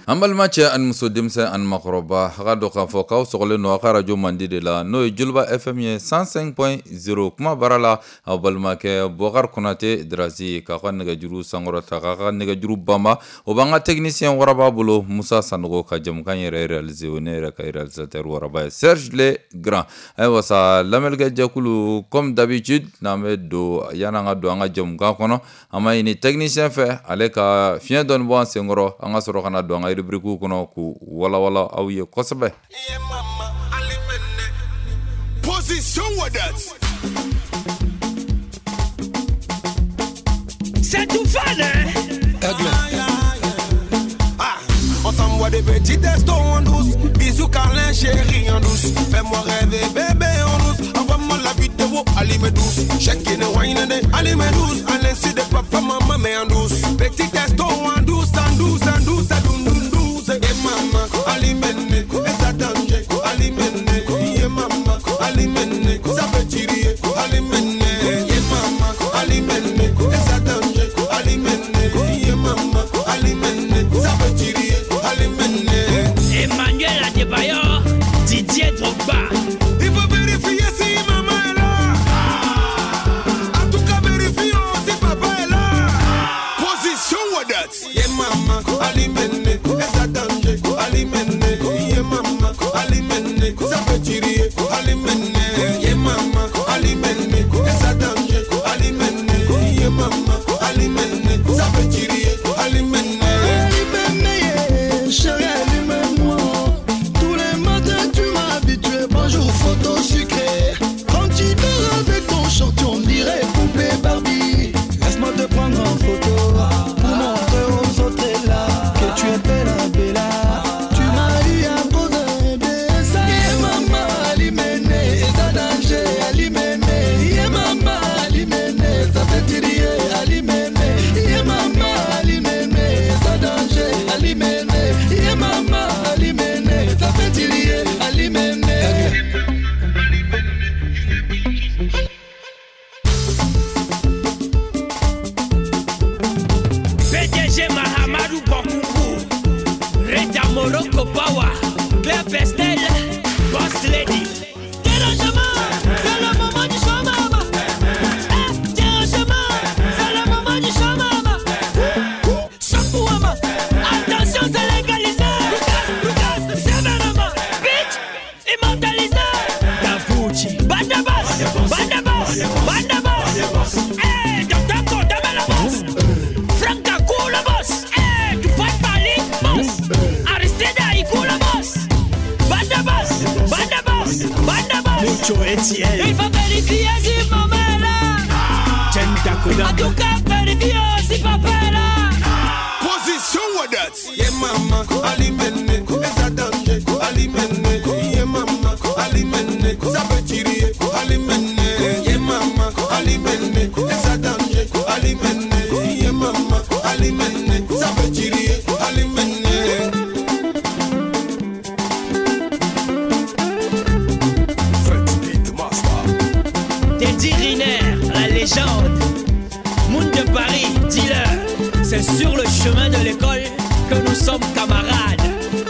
An balima cɛ ani muso, denmisɛn ani makɔrɔba, a ka dɔn k'a fɔ k'aw sɔgɔlen don aw ka radio mandi de la, n'o ye Joliba FM ye 105.0. Kuma baara la, aw balimakɛ Bɔkari Konate Darasi, k'aw ka nɛgɛjuru sankɔrɔta, k'aw ka nɛgɛjuru banba. O b'an ka technicien waraba bolo, Musa Sanogo, ka jɛmukan yɛrɛ réaliser, o ne yɛrɛ ka réalisateur waraba ye, Serge Le Grand. Ayiwa sa, lamɛnnikɛ jɛkulu, comme d'habitude, n'an bɛ don, yan'an ka don an ka jɛmukan kɔnɔ, an b'a ɲini technicien fɛ, ale ka fiɲɛ dɔɔni bɔ an senkɔrɔ, an ka sɔrɔ ka na don an ka rubrique kɔnɔ k'u walawala aw ye kosɛbɛ. Position with us. C'est tout fun, hein? Ah, on s'envoie des petits textos en douce. Bisous, câlin, chérie en douce. Fais-moi rêver, bébé en douce. Envoie-moi la vidéo, allez me douce. Chacun est wine, allez me douce. À l'insu de papa, maman, mais en douce. Petit texto en douce, en douce, en douce, à doum, doum, douce. Et maman, allez me et ça danger, allez me et maman, allez me ça peut tirer, allez me et maman, allez me et ça danger, allez me et maman, allez me ça peut tirer, allez me. Emmanuel Adebayor, Didier Drogba. Il faut vérifier si maman est là. En tout cas, vérifions si papa est là. Position with us. Yeah, maman, allez me et ça danger, allez me yeah, maman, allez me ça peut tirer, allez me yeah, maman, allez me et ça danger, allez me yeah, maman, allez me ça peut tirer, allez me. Chérie, allume-moi. Tous les matins tu m'as habitué. Bonjour, photo sucrée. Quand tu dors avec ton short, on dirait poupée Barbie. Laisse-moi te prendre en photo pour montrer aux autres là que tu es bella, bella. Tu m'as eu à cause de ça. Yeah, maman, alimene, ça danger, alimene. Yeah, maman, alimene, ça fait tirer, alimene. Yeah, maman, alimene, ça danger, alimene. Yeah, maman, alimene, ça fait tirer, alimene. PDG Mahamadou Bokoungou, Rita Morocco Power, Claire Pestel, Boss Lady. Dérangement, c'est le moment du choix, maman. Eh, dérangement, c'est le moment du choix, maman. Champouama, attention, c'est légalisé. Lucas, Lucas, sévèrement, bitch, immortalisé. Davucci, Bandabas, Bandabas, Bandabas. Eh, Docteur Kodame la boss. Franck Kakou le boss. Eh, tu peux parler, boss. Aristide Aïkou le boss. Bandabas, Bandabas, Bandabas. Mucho Etienne. Il faut vérifier si maman est là. En tout cas, vérifier si papa est là. Position with us. Yeah, maman, alimene, et ça danger, alimene. Yeah, maman, alimene, ça peut tirer, alimene. Yeah, maman, alimene, et ça danger, alimene. Yeah, maman, alimene, ça peut tirer, alimene. Teddy Riner, la légende. Moon de Paris, dealer. C'est sur le chemin de l'école que nous sommes camarades.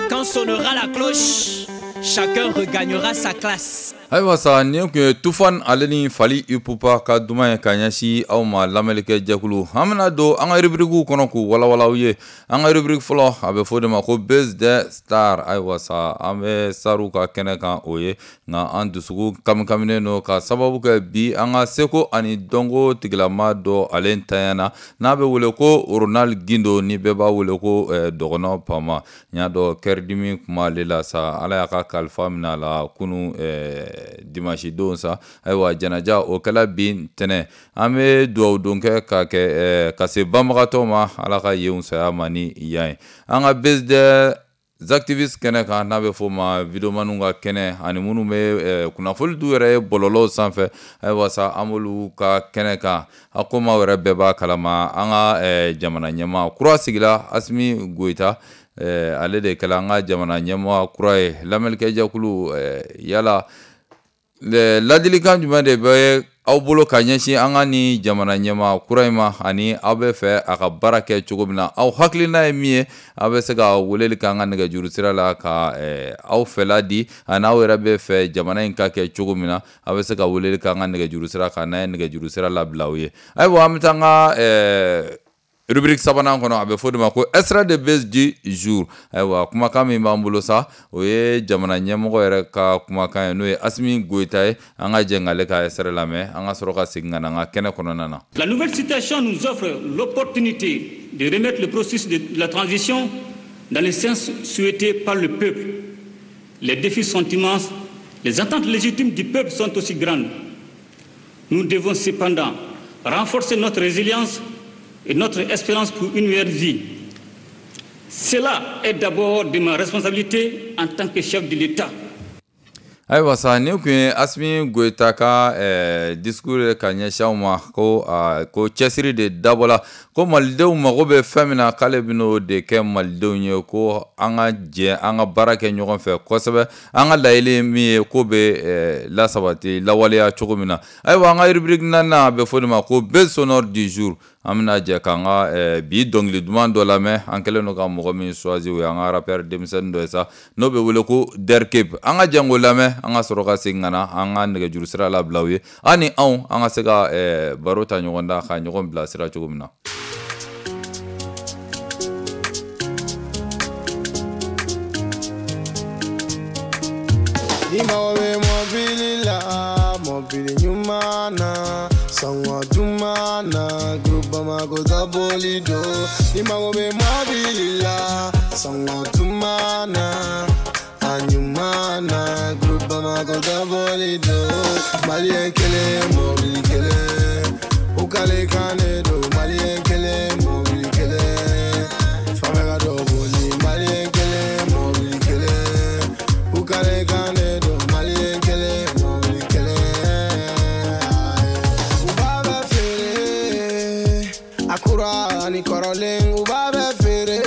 Quand sonnera la cloche, chacun regagnera sa classe. Ayiwa sa, nin tun ye Tufan ale ni Fally Ipupa ka duman ye ka ɲɛsin aw ma, lamɛnnikɛ jɛkulu. An bɛna don an ka rubrique kɔnɔ k'u walawala aw ye. An ka rubrique fɔlɔ, a bɛ fɔ o de ma ko Buzz des Stars. Ayiwa sa, an bɛ starw ka kɛnɛ kan, o ye nka an dusukun kamikaminen don ka sababu kɛ bi an ka seko ani dɔnko tigilama dɔ ale ntanyana, n'a bɛ wele ko Ronald Gindo, ni bɛɛ b'a wele ko Dɔgɔnɔ Pama. N y'a dɔn kɛridimi kun b'ale la sa, Ala y'a ka kalifa minɛ a la kunu dimanche don sa. Ayiwa, janaja o kɛla bi ntɛnɛn. An bɛ dugawu don kɛ ka kɛ ka se banbagatɔw ma, Ala ka yen saya ma ni yan ye. An ka Buzz des activistes kɛnɛ kan, n'a bɛ fɔ o ma videomaniw ka kɛnɛ, ani minnu bɛ kunnafoni d'u yɛrɛ ye bɔlɔlɔw sanfɛ. Ayiwa sa, an b'olu ka kɛnɛ kan. A ko maaw yɛrɛ bɛɛ b'a kalama, an ka jamana ɲɛmaa kura sigila, Asimi Goyita, ale de kɛla an ka jamana ɲɛmaa kura ye. Lamɛnnikɛ jɛkulu, yala ladilikan jumɛn de bɛ aw bolo ka ɲɛsin an ka ni jamana ɲɛmaa kura in ma, ani aw bɛ fɛ a ka baara kɛ cogo min na, aw hakilina ye min ye, aw bɛ se ka weleli kɛ an ka nɛgɛjuru sira la ka aw fɛla di, ani aw yɛrɛ bɛ fɛ jamana in ka kɛ cogo min na, aw bɛ se ka weleli kɛ an ka nɛgɛjuru sira kan, n'an ye nɛgɛjuru sira labila aw ye. Ayiwa, an bɛ taa an ka rubrique sabanan kɔnɔ, a bɛ fɔ o de ma ko extrait de buzz du jour. Ayiwa, kumakan min b'an bolo sa, o ye jamana ɲɛmɔgɔ yɛrɛ ka kumakan ye, n'o ye Assimi Goïta ye. An ka jɛ k'ale ka extrait lamɛn, an ka sɔrɔ ka segin ka na an ka kɛnɛ kɔnɔna na. La nouvelle situation nous offre l'opportunité de remettre le processus de la transition dans le sens souhaité par le peuple. Les défis sont immenses, les attentes légitimes du peuple sont aussi grandes. Nous devons cependant renforcer notre résilience et notre espérance pour une meilleure vie. Cela est d'abord de ma responsabilité en tant que chef de l'État. Ayiwa sa, nin tun ye Assimi Goïta ka discours ye ka ɲɛsin aw ma, ko cɛsiri de dabɔla, ko malidenw mago bɛ fɛn min na, k'ale bɛn'o de kɛ malidenw ye, ko an ka jɛ an ka baara kɛ ɲɔgɔn fɛ kosɛbɛ, an ka laɲini ye min ye, ko bɛ lasabati lawaleya cogo min na. Ayiwa, an ka rubrique naaninan, a bɛ fɔ o de ma ko buzz sonore du jour. An bɛna jɛ k'an ka bi dɔnkili duman dɔ lamɛn. An kɛlen don ka mɔgɔ min choisi, o y'an ka rappeur denmisɛnnin dɔ ye sa, n'o bɛ wele ko Derkeb. An ka jɛ k'o lamɛn, an ka sɔrɔ ka segin ka na an ka nɛgɛjuru sira labila aw ye, an ni anw an ka se ka baro ta ɲɔgɔn da, ka ɲɔgɔn bilasira cogo min na. Ni mago bɛ mɔbili la, mɔbili ɲuman na, sɔngɔ duman na, groupe Bamako dabɔli don. Ni mago bɛ mɔbili la, sɔngɔ duman na, a ɲuman na, groupe Bamako dabɔli don. Maliyɛn kelen, mɔbili kelen, u k'ale kan de don. Maliyɛn kelen, mɔbili kelen, fan bɛɛ ka dɔ boli. Maliyɛn kelen, mɔbili kelen, u k'ale kan de don. Maliyɛn kelen, mɔbili kelen. U b'a bɛɛ feere, a kura ani kɔrɔlen, u b'a bɛɛ feere,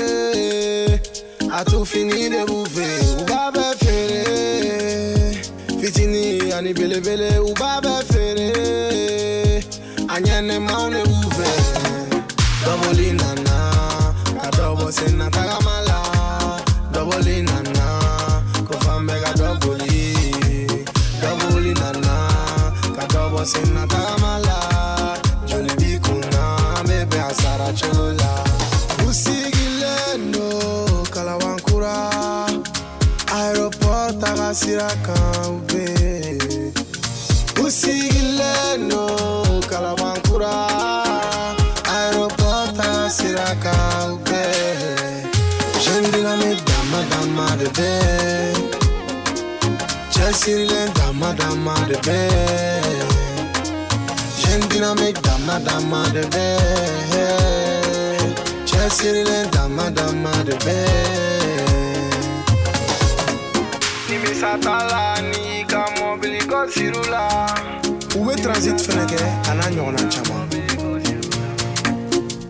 a tu fini de b'u fɛ. U b'a bɛɛ feere, fitini ani belebele, u b'a bɛɛ feere, a ɲɛnɛmaw de b'u fɛ. Dɔbɔli nana, ka dɔ bɔ senna tagama la. Dɔbɔli nana, ko fan bɛɛ ka dɔ boli. Dɔbɔli nana, ka dɔ bɔ senna tagama la. Joli b'i kunna, an bɛ bɛn a sara cogo la. U sigilen don Kalabankura, aéroport taga sira kan u bɛ yen. U sigilen don Kalabankura, aéroport taga sira kan u bɛ yen. Jeune dynamique dama dama de bɛ yen. Cɛsirilen dama dama de bɛ yen. Jeune dynamique dama dama de bɛ yen. Cɛsirilen dama dama de bɛ yen. Nimisa t'a la n'i ka mɔbili ko sir'u la. U bɛ transit fɛnɛ kɛ, a n'a ɲɔgɔnna caman.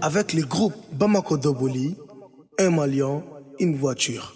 Avec le groupe Bamako Doboli, un Malien, une voiture.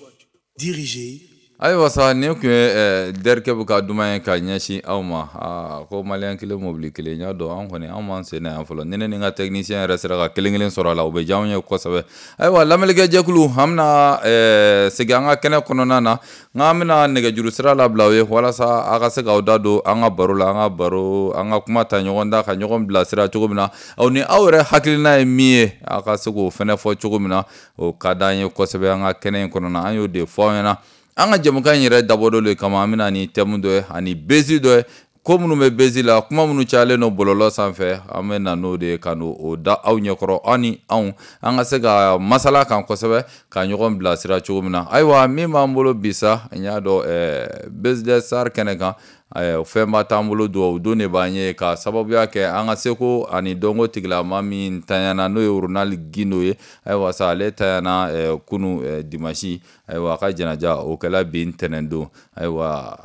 Dirigé. Ayiwa sa, nin tun ye Derkeb ka duman ye ka ɲɛsin aw ma. Aa, ko maliyɛn kelen mobili kelen, n y'a dɔn an kɔni an m'an sen na yan fɔlɔ. Ni ne ni n ka technicien yɛrɛ sera ka kelen kelen sɔrɔ a la, o bɛ diya anw ye kosɛbɛ. Ayiwa, lamɛnnikɛ jɛkulu, an bɛna segin an ka kɛnɛ kɔnɔna na, nka an bɛna nɛgɛjuru sira labila aw ye walasa aw ka se k'aw da don an ka baro la, an ka baro, an ka kuma ta ɲɔgɔn da, ka ɲɔgɔn bilasira cogo min na. Aw ni aw yɛrɛ hakilina ye min ye, aw ka se k'o fɛnɛ fɔ cogo min na, o ka d'an ye kosɛbɛ an ka kɛnɛ in kɔnɔna. An y'o de fɔ aw ɲɛna. An ka jɛmukan in yɛrɛ dabɔ dɔ de kama, an bɛna ni thème dɔ ye ani buzz dɔ ye, ko minnu bɛ buzz la, kuma minnu cayalen don bɔlɔlɔ sanfɛ, an bɛ na n'o de ye ka n'o da aw ɲɛkɔrɔ, aw ni anw an ka se ka masala kan kosɛbɛ, ka ɲɔgɔn bilasira cogo min na. Ayiwa, min b'an bolo bi sa, n y'a dɔn buzz des stars kɛnɛ kan, fɛnba t'an bolo, dugawu don de b'an ye, ka sababuya kɛ an ka seko ani dɔnko tigilama min tanyana, n'o ye Ronald Guindo ye. Ayiwa sa, ale tanyana kunu dimanche. Ayiwa, a ka janaja o kɛla bi ntɛnɛn don. Ayiwa,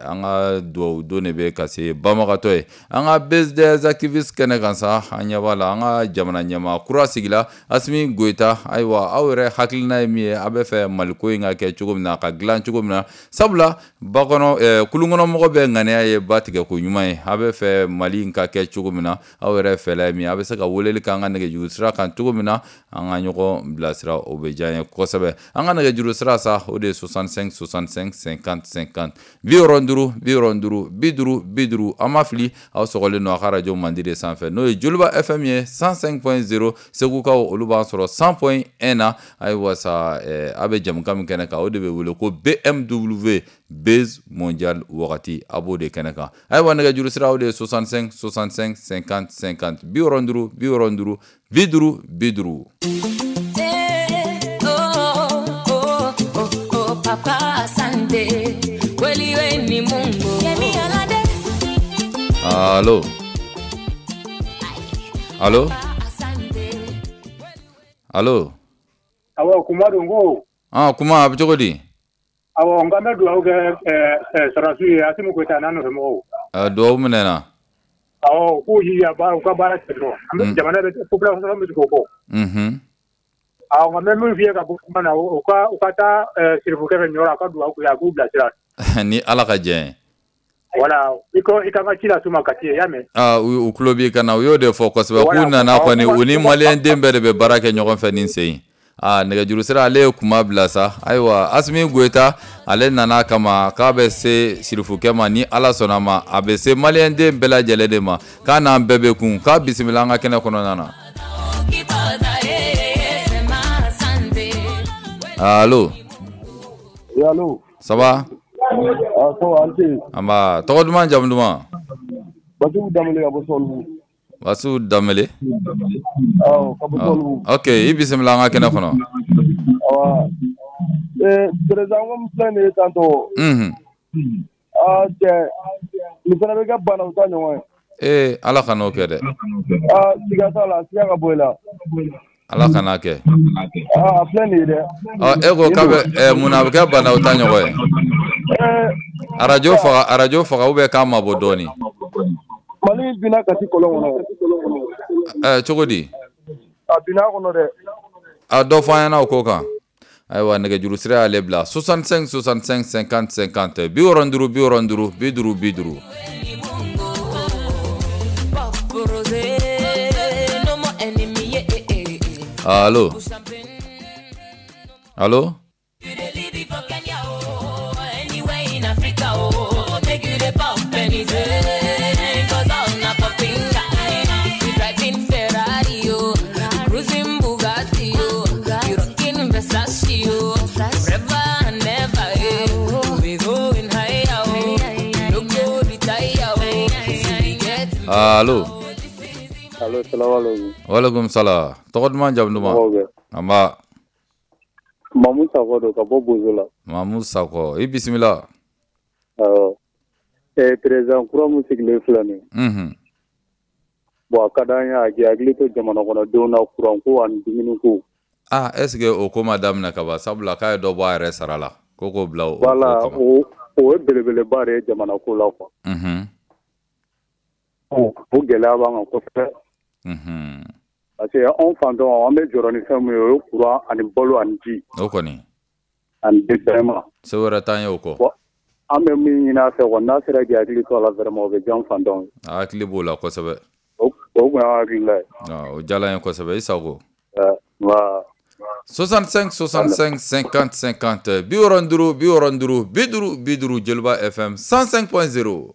an ka dugawu don de bɛ ka se banbagatɔ ye. An ka buzz des activistes kɛnɛ kan sa, an ɲɛ b'a la an ka jamana ɲɛmaa kura sigila, Assimi Goïta. Ayiwa, aw yɛrɛ hakilina ye min ye, aw bɛ fɛ Maliko in ka kɛ cogo min na, a ka dilan cogo min na, sabula ba kɔnɔ kulunkɔnɔmɔgɔ bɛ ŋaniya ye ba tigɛ ko ɲuman ye. A bɛ fɛ Mali in ka kɛ cogo min na, aw yɛrɛ fɛla ye min, a bɛ se ka weleli k'an ka nɛgɛjuru sira kan cogo min na, an ka ɲɔgɔn bilasira, o bɛ diya n ye kosɛbɛ. An ka nɛgɛjuru sira sa, o de ye 65 65 50 50, 65 65 50 50. An ma fili, aw sɔgɔlen don a ka arajo mandi de sanfɛ, n'o ye Joliba FM ye 105.0. Segukaw, olu b'an sɔrɔ 100.1 na. Ayiwa sa, a bɛ jamukan min kɛnɛ kan, o de bɛ wele ko BMW Buzz Mondial wagati, a b'o de kɛnɛ kan. Ayiwa, nɛgɛjuru sira, o de ye 65 65 50 50, 65 65 50 50. Eh, oh, oh, oh, oh, papa, asante. Kweli we ni Mungu. Yemi Alade. Allo, allo? Asante. Allo? Awɔ, kuma don ko. Ah, kuma a bɛ cogo di? Awɔ, n k'an bɛ dugawu kɛ sɔrɔdasiw ye, Asimi Goyita n'a nɔfɛmɔgɔw. Dugawu minɛna. Awɔ, u k'u jija baara, u ka baara kɛ dɔrɔn. An bɛ jamana bɛ population bɛ tugu o kɔ. Awɔ, nka n bɛ min f'i ye ka bɔ kuma na, u ka taa sirifukɛ fɛ Ɲɔrɔ, a ka dugawu k'u ye, a k'u bilasira. Ni Ala ka jɛ ye. Voilà, i ko i ka n ka ci las'u ma Kati, i y'a mɛn? Ah, u tulo b'i kan na, u y'o de fɔ kosɛbɛ. K'u nana kɔni, u ni maliyɛn den bɛɛ de bɛ baara kɛ ɲɔgɔn fɛ nin sen in. Ah, nɛgɛjuru sira, ale ye kuma bila sa. Ayiwa, Asimi Goyita, ale nana kama k'a bɛ se sirifukɛ ma, ni Ala sɔnna ma, a bɛ se maliyɛn den bɛɛ lajɛlen de ma, k'a n'an bɛɛ bɛ kun, k'a bisimila an ka kɛnɛ kɔnɔna na. Sema asante. Allo? Oui, allô? Ça va? Ah, ça va, an ce. An b'a, tɔgɔ duman, jamu duman? Basiru Danbele ka bɔ Sɔlibugu. Basiru Danbele. Awɔ, ka bɔ Sɔlibugu. Ok, i bisimila an ka kɛnɛ kɔnɔ. Awa. Président ko min filɛ nin ye tantɔ. Ah, cɛ, nin fana bɛ kɛ banaw ta ɲɔgɔn ye. Ee, Ala ka n'o kɛ dɛ. Ah, siga t'a la, siga ka bɔ i la. Ala kana kɛ. Ah, a filɛ nin ye dɛ. Ɔ, e ko k'a bɛ mun na a bɛ kɛ banaw ta ɲɔgɔn ye? Arajo faga, arajo faga, ou bien k'a mabɔ dɔɔni. Mali binna Kati kɔlɔn kɔnɔ. Cogo di? A binna a kɔnɔ dɛ. A dɔ fɔ an ɲɛna o ko kan. Ayiwa, nɛgɛjuru sira y'ale bila, 65 65 50 50, 65 65 50 50. Pop rosé, no more enemy, yeah, eh, eh, eh. Allo, allo? You dey live it for Kenya, oh, anywhere in Africa, oh. Make you dey pop anything, 'cause all na popping guy. We driving Ferrari, oh, cruising Bugatti, oh, you rocking Versace, oh, forever and ever, eh. We going higher, oh, no go retire, oh. See we get Allo? Allo, salamu alaikum. Walekum salam, tɔgɔ duman, jamu duman? Mɔgɔw bɛ? An b'a. Mamu Sakɔ don ka bɔ Bozo la. Mamu Sakɔ, i bisimila. Awɔ. Président kura min sigilen filɛ nin ye. Bon, a ka d'an ye a k'i hakili to jamana kɔnɔdenw na, kuran ko ani dumuni ko. Ah, est ce que o ko ma daminɛ ka ban? Sabula k'a ye dɔ bɔ a yɛrɛ sara la ko k'o bila o Voilà, ko kama. o ye belebeleba de ye jamana ko la quoi. O gɛlɛya b'an kan kosɛbɛ. Parce que anw fantanw, an bɛ jɔrɔ ni fɛn min ye, o ye courant ani balo ani ji. O kɔni. Ani développement. Se wɛrɛ t'an ye o kɔ. Bon, an bɛ min ɲini a fɛ kɔni, n'a sera k'i hakili to a la vraiment, o bɛ diya an fantanw ye. A hakili b'o la kosɛbɛ. O kun y'an hakilila ye. Ah, o diyala n ye kosɛbɛ, i sago. Nba. 65 65 50 50, 65 65 50 50, Joliba FM 105.0.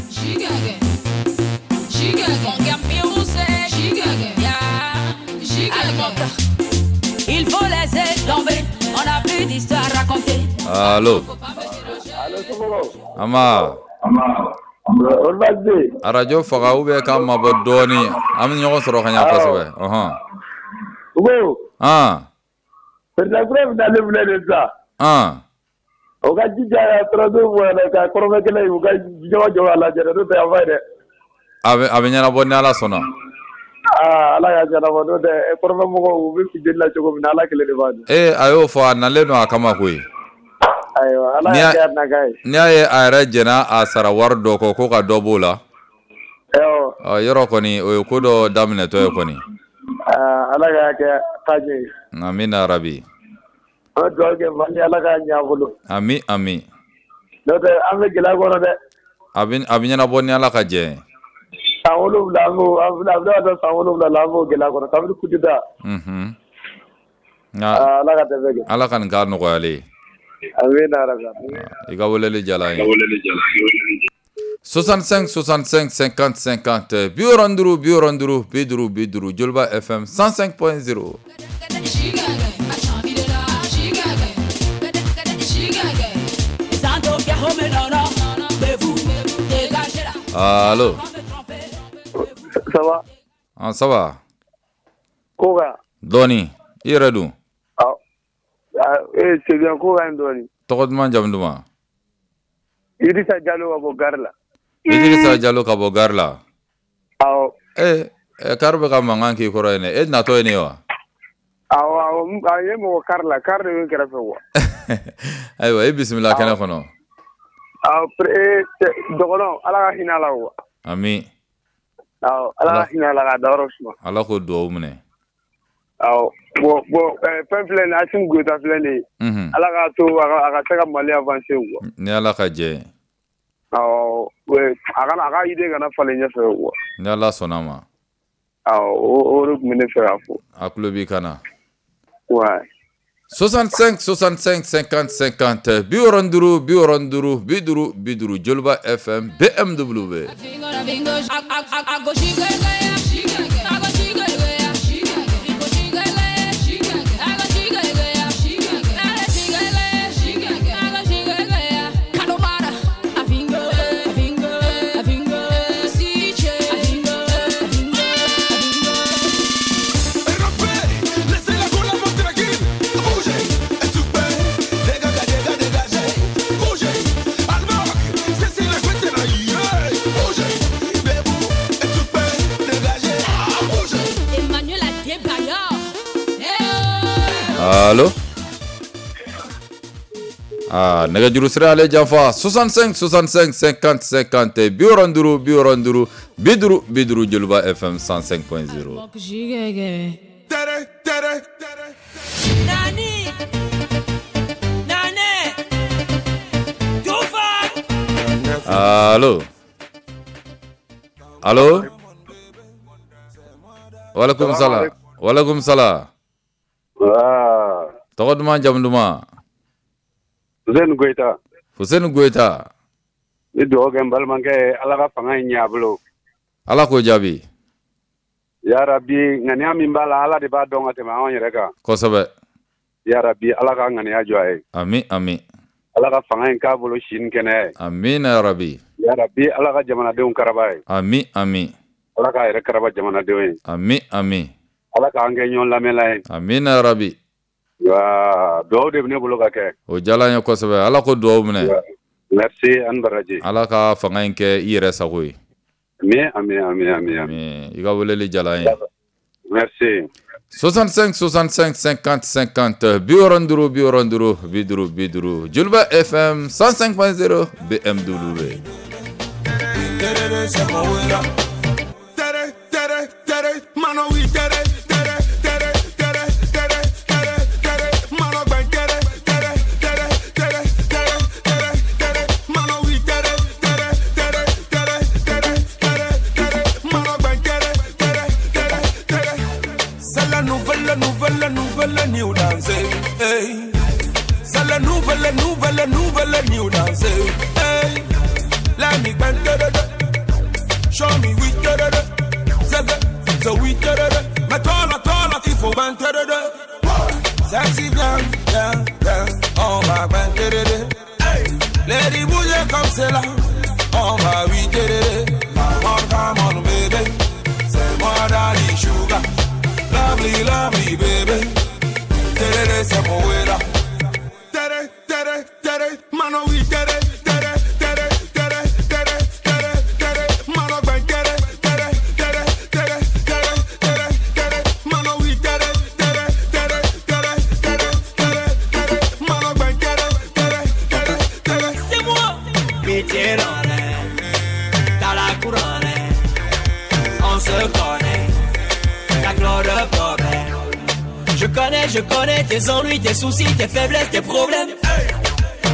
Gigaga, Gigaga, Gigaga. Il faut laisser tomber, on n'a plus d'histoire à raconter. Allo? Allo, somɔgɔw? An b'a. Olu baasi tɛ yen? Arajo faga ou bien k'a mabɔ dɔɔni, an bɛ ɲɔgɔn sɔrɔ ka ɲɛ kosɛbɛ, ɔhɔn. U ko président kura min nalen filɛ nin ye sisan. O ka jija ka sɔrɔdasiw bɔ yɛrɛ ka kɔrɔnfɛ kɛlɛ in, u ka ɲɔgɔn jɔ a lajɛ dɛ, n'o tɛ a ma ɲi dɛ. A bɛ ɲɛnabɔ ni Ala sɔnna. Aa, Ala k'a ɲɛnabɔ, n'o tɛ kɔrɔnfɛ mɔgɔw, u bɛ funteni la cogo min na, Ala kelen de b'a dɔn. Ee, a y'o fɔ, a nalen don a kama koyi. Ayiwa, Ala N'i k'a y'a kɛ a nakan ye. N'i y'a ye a yɛrɛ jɛnna a sara wari dɔ kɔ ko ka dɔ b'o la. Awɔ. Ɔ, yɔrɔ kɔni, o ye ko dɔ daminɛtɔ ye kɔni. Aa, Ala k'a kɛ taa ɲɛ ye. Amina rabi. An bɛ dugawu kɛ Mali, Ala k'a ɲɛ a bolo. Ami ami. N'o tɛ, an bɛ gɛlɛya kɔnɔ dɛ. A bɛ ɲɛnabɔ ni Ala ka jɛ ye. San 7 an b'o a bɛna taa san 7 la an b'o gɛlɛya kɔnɔ kabini coup d'État. Unhun. Nka Ala ka dɛmɛ kɛ. Ala ka nin k'a nɔgɔyalen ye. Amina yarabi. I ka weleli diyara an ye. 65 65 50 50 65 65 50 50 Joliba FM 105.0. Allo. Ça va? Ah, ça va. Ko ka. Dɔɔni, i yɛrɛ dun? C'est bien, ko ka ɲi dɔɔni. Tɔgɔ duman, jamu duman? Idrissa Diallo ka bɔ gare la. Idrissa Diallo ka bɔ gare la. Awɔ. Kari bɛ ka mankan k'i kɔrɔ yen dɛ, e natɔ ye nin ye wa? Awɔ, a ye mɔgɔ kari la, kari de bɛ n kɛrɛfɛ quoi. Ayiwa, i bisimila kɛnɛ kɔnɔ. Awɔ, dɔgɔnɔ, Ala ka hinɛ a la quoi. Ami. Awɔ, Ala ka hinɛ a la k'a dayɔrɔ suma. Ala k'o dugawu minɛ. Awɔ, bon fɛn filɛ nin ye, Assimi Goïta filɛ nin ye. Unhun. Ala k'a to a ka se ka Mali avancer quoi. Ni Ala ka jɛ ye. Awɔ, a ka idée kana falen ɲɛfɛ quoi. Ni Ala sɔnna ma. Awɔ, o de tun bɛ ne fɛ k'a fɔ. A tulo b'i kan na. Ouais. 65 65 50 50 65 65 50 50 Joliba FM BMW. Allo. Ah, nɛgɛjuru sira ale janfa 65 65 50 50 65 65 50 50 Joliba FM 105.0. Nani Nane Allo. Allo. Waalaikum salam. Waalaikum salam. Tɔgɔ duman, jamu duman? Fuseni Goyita. Fuseni Goyita. Ni dugawu kɛ n balimakɛ ye, Ala ka fanga in ɲɛ a bolo. Ala k'o jaabi. Yarabi, ŋaniya min b'a la, Ala de b'a dɔn ka tɛmɛ anw yɛrɛ kan. Kosɛbɛ. Yarabi, Ala ka ŋaniya jɔ a ye. Ami ami. Ala ka fanga in k'a bolo si ni kɛnɛya ye. Amina yarabi. Yarabi, Ala ka jamanadenw karaba ye. Ami ami. Ala k'a yɛrɛ karaba jamanadenw ye. Ami ami. Ala k'an kɛ ɲɔgɔn lamɛnla ye. Amina yarabi. Wa dugawu de bɛ ne bolo ka kɛ. O diyara n ye kosɛbɛ, Ala ko dugawu minɛ. Merci, an baraji. Ala ka fanga in kɛ i yɛrɛ sago ye. Ami ami ami ami ami. I ka weleli diyara n ye. Merci. 65 65 50 50 65 65 50 50 Joliba FM 105.0 BMW. New dance, hey. C'est la nouvelle, nouvelle, nouvelle new dance, hey. Let me bend da da, show me we da da da, so we da da da. Mais toi là, il faut bend da da. Sexy bien, bien, bien, on va bend da da. Hey. Lady bouger comme c'est là, on va we da da. Come on, come on, baby, c'est moi Daddy Sugar, lovely, lovely baby. Tere c'est mon wera. Tere tere tere mano wi tere tere tere tere tere tere tere mano gba tere tere tere tere tere tere tere mano wi tere tere tere tere tere tere tere mano gba tere tere tere tere. C'est moi. Pitié dans la couronne, on se connaît, la gloire de problème. Je connais tes ennuis, tes soucis, tes faiblesses, tes problèmes.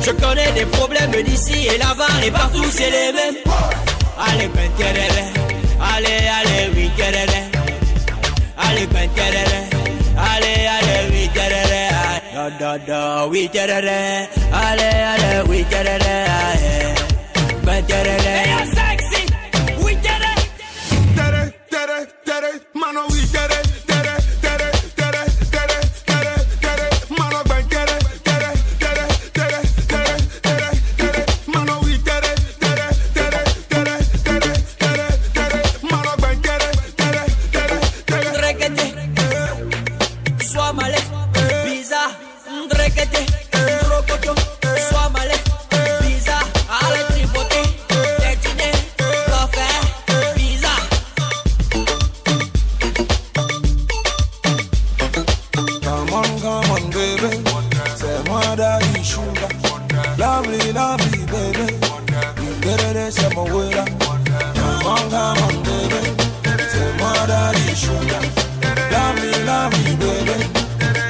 Je connais des problèmes d'ici et là-bas et partout, c'est les mêmes. Allez, ben, allez, allez, oui, allez, ben, allez, allez, oui, da, da, da, oui, allez, allez, oui, ben, sexy, oui, tere, tere, tere, mano, oui, tere, tere, tere, tere, tere, tere, tere, mano, ben, tere, tere, tere, tere, tere, tere, tere, mano, oui, tere, tere, tere, tere, tere, tere, tere, mano, ben, tere, tere, tere, tere, rekete, sois malé, bizarre, rekete, rocoto, sois malé, bizarre, allez tripoter, détiner, café, bizarre. Come on, come on, baby, c'est moi daddy sugar. Lovely, lovely, baby, you get it, c'est mon way. Come on, come on, baby, c'est moi daddy sugar. Lovely, lovely, baby,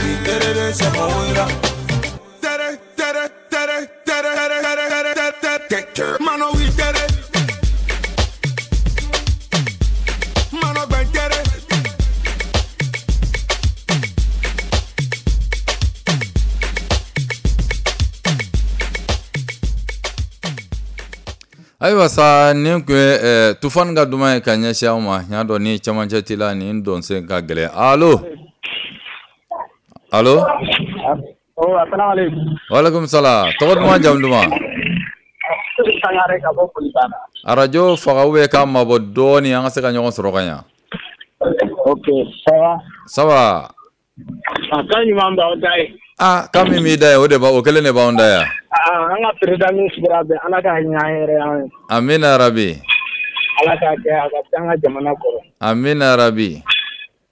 you get it, c'est mon way. Tere, tere, tere, tere, tere, tere, tere, tere, tere, mano, oui, tere. Mano, ben, tere. Ayiwa sa, nin kun ye Tufan ka duman ye ka ɲɛsin aw ma. N y'a dɔn ni camancɛ t'i la, nin dɔnsen ka gɛlɛn. Allo, allo. Oh, assalamu alaikum. Walaikum salam. Tɔgɔ duman, jamu duman? Sangare ka bɔ Kolibana. Arajo faga ou bien k'a mabɔ dɔɔni, an ka se ka ɲɔgɔn sɔrɔ ka ɲa. Ok, ça va. Ça va. A kan ɲuman b'aw da ye. Ah, kan min b'i da ye, o de b'a o kelen de b'anw da yan. Ah, an ka président min sigira bɛn, Ala ka hinɛ an yɛrɛ an ye. Amina rabi. Ala k'a kɛ a ka se an ka jamana kɔrɔ. Amina rabi.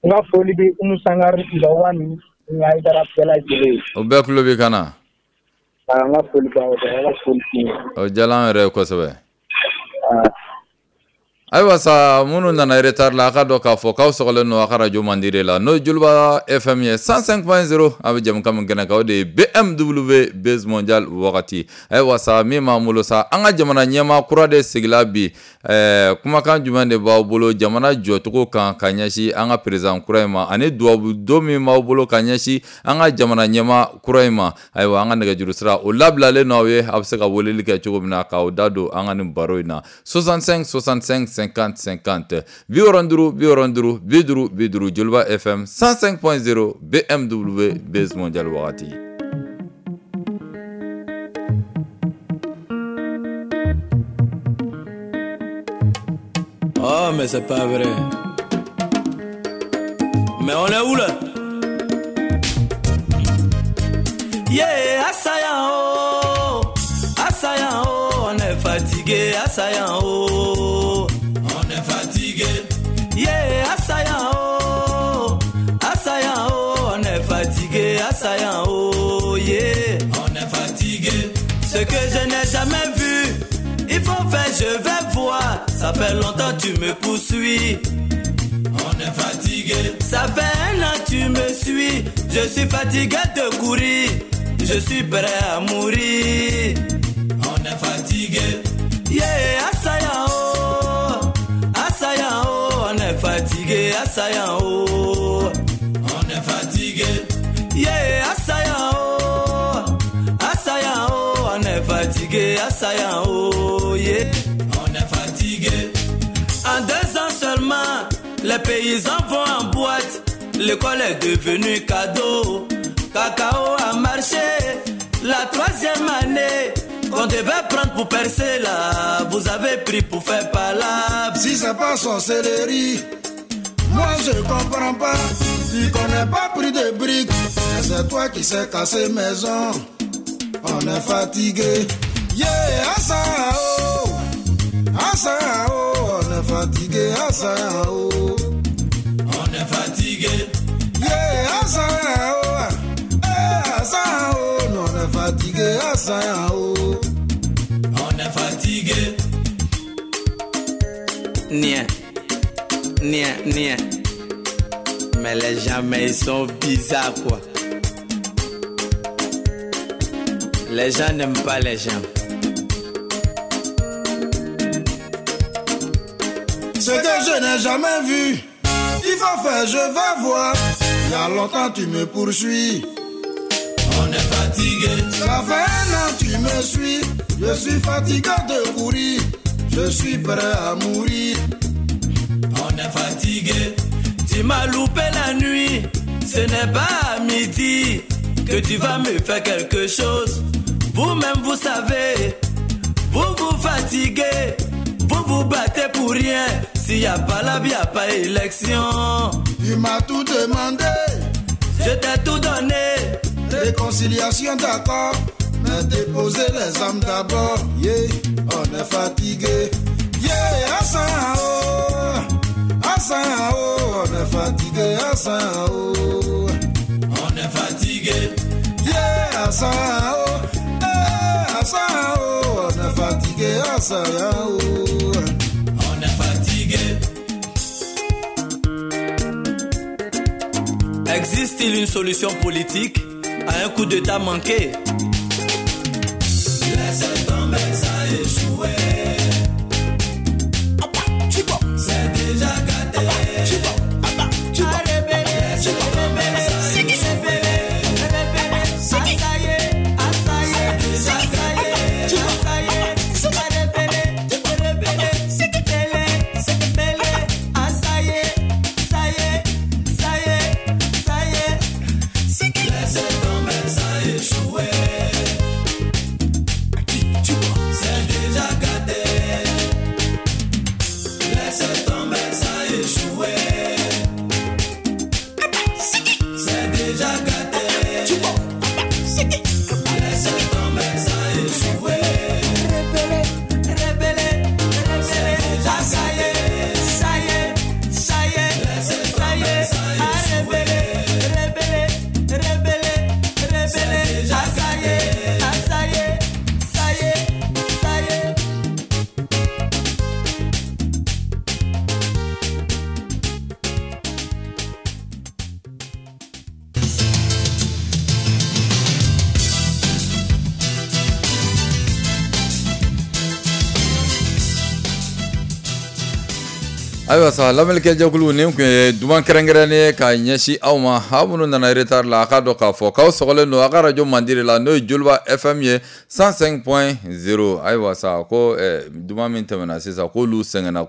N ka foli bɛ Umu Sangare Lawa ni Hayidara bɛɛ lajɛlen ye. O bɛɛ tulo b'i kan na. Ah, n ka foli b'aw bɛɛ, Ala foli k'i ye. O diyala an yɛrɛ ye kosɛbɛ. Ah. Ayiwa sa, minnu nana retard la, a ka dɔn k'a fɔ k'aw sɔgɔlen don a ka radio mandi de la, n'o ye Joliba FM ye 105.0. A bɛ jɛmukan min kɛnɛ kan, o de ye BMW Base Mondial wagati. Ayiwa sa, min b'an bolo sa, an ka jamana ɲɛmaa kura de sigila bi. Kumakan jumɛn de b'aw bolo jamana jɔcogo kan ka ɲɛsin an ka président kura in ma, ani duwawu don min b'aw bolo ka ɲɛsin an ka jamana ɲɛmaa kura in ma? Ayiwa, an ka nɛgɛjuru sira o labilalen n'aw ye, a bɛ se ka weleli kɛ cogo min na k'aw da don an ka nin baro in na: 65 65 50 50, 65 65 50 50. Joliba FM 105.0, BMW Base Mondial wagati. Oh, mais c'est pas vrai. Mais on est où là? Yeah, assaillant, oh, assaillant, oh, on est fatigué, assaillant, oh, on est fatigué. Yeah, assaillant, oh, assaillant, oh, on est fatigué, assaillant, oh, yeah, on est fatigué. Ce que je n'ai jamais vu, il faut faire, je vais voir. Ça fait longtemps tu me poursuis. On est fatigué. Ça fait un an tu me suis. Je suis fatigué de courir. Je suis prêt à mourir. On est fatigué. Yeah, assaillant, oh, assaillant, oh, on est fatigué, assaillant, oh, on est fatigué. Yeah, assaillant, oh, assaillant, oh, on est fatigué, assaillant, oh, yeah, on est fatigué. En 2 ans seulement, les paysans vont en boîte. L'école est devenue cadeau. Cacao a marché. La 3e année qu'on devait prendre pour percer là, vous avez pris pour faire palabre. Si c'est pas sorcellerie, moi je comprends pas. Tu connais pas prix de briques, mais c'est toi qui sais casser maison. On est fatigué. Yeah, asa oh, asa oh, on est fatigué, asa oh, on est fatigué. Yeah, asa oh, eh, asa oh, on est fatigué, asa oh, on est fatigué. Nia, nia, nia. Mais les gens, mais ils sont bizarres quoi. Les gens n'aiment pas les gens. Ce que je n'ai jamais vu, il faut faire, je vais voir. Il y a longtemps tu me poursuis. On est fatigué. Ça fait un an tu me suis. Je suis fatigué de courir. Je suis prêt à mourir. On est fatigué. Tu m'as loupé la nuit. Ce n'est pas à midi que tu vas me faire quelque chose. Vous-même vous savez, vous vous fatiguez, vous vous battez pour rien. S'il n'y a pas la vie, il n'y a pas élection. Tu m'as tout demandé, je t'ai tout donné. Réconciliation d'accord, mais déposer les âmes d'abord. Yeah, on est fatigué. Yeah, Hassan, oh, Hassan, oh, on est fatigué, Hassan, oh. On est fatigué. Yeah, Hassan, oh, eh, Hassan, oh, on est fatigué, Hassan, oh. On est fatigué. Existe-t-il une solution politique à un coup d'état manqué? Laissez tomber, ça a échoué. C'est déjà gâté. Laissez tomber, ça a échoué. C'est déjà gâté. Laissez tomber, ça a échoué. C'est déjà gâté. Laissez tomber, ça a échoué. C'est déjà gâté. Laissez tomber, ça a échoué. C'est déjà gâté. Laissez tomber, ça a échoué. C'est déjà gâté. Ayiwa sa lamɛnnikɛjɛkulu nin tun ye duman kɛrɛnkɛrɛnnen ye ka ɲɛsin aw ma aw minnu nana retard la a k'a dɔn k'a fɔ k'aw sɔgɔlen don a ka radio mandi de la n'o ye Joliba FM ye 105.0. Ayiwa sa ko duman min tɛmɛna sisan k'olu sɛgɛnna